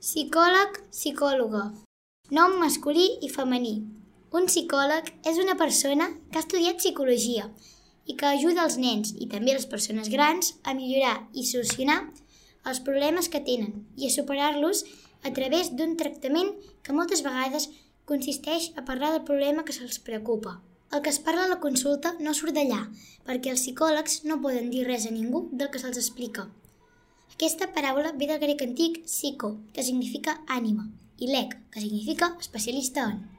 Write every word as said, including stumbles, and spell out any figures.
Psicòleg, psicòloga. Nom masculí i femení. Un psicòleg és una persona que ha estudiat psicologia i que ajuda els nens i també les persones grans a millorar i solucionar els problemes que tenen i a superar-los a través d'un tractament que moltes vegades consisteix a parlar del problema que se'ls preocupa. El que es parla a la consulta no surt d'allà, perquè els psicòlegs no poden dir res a ningú del que se'ls explica. Aquesta paraula ve del grec antic psycho, que significa ànima, i lec, que significa especialista en.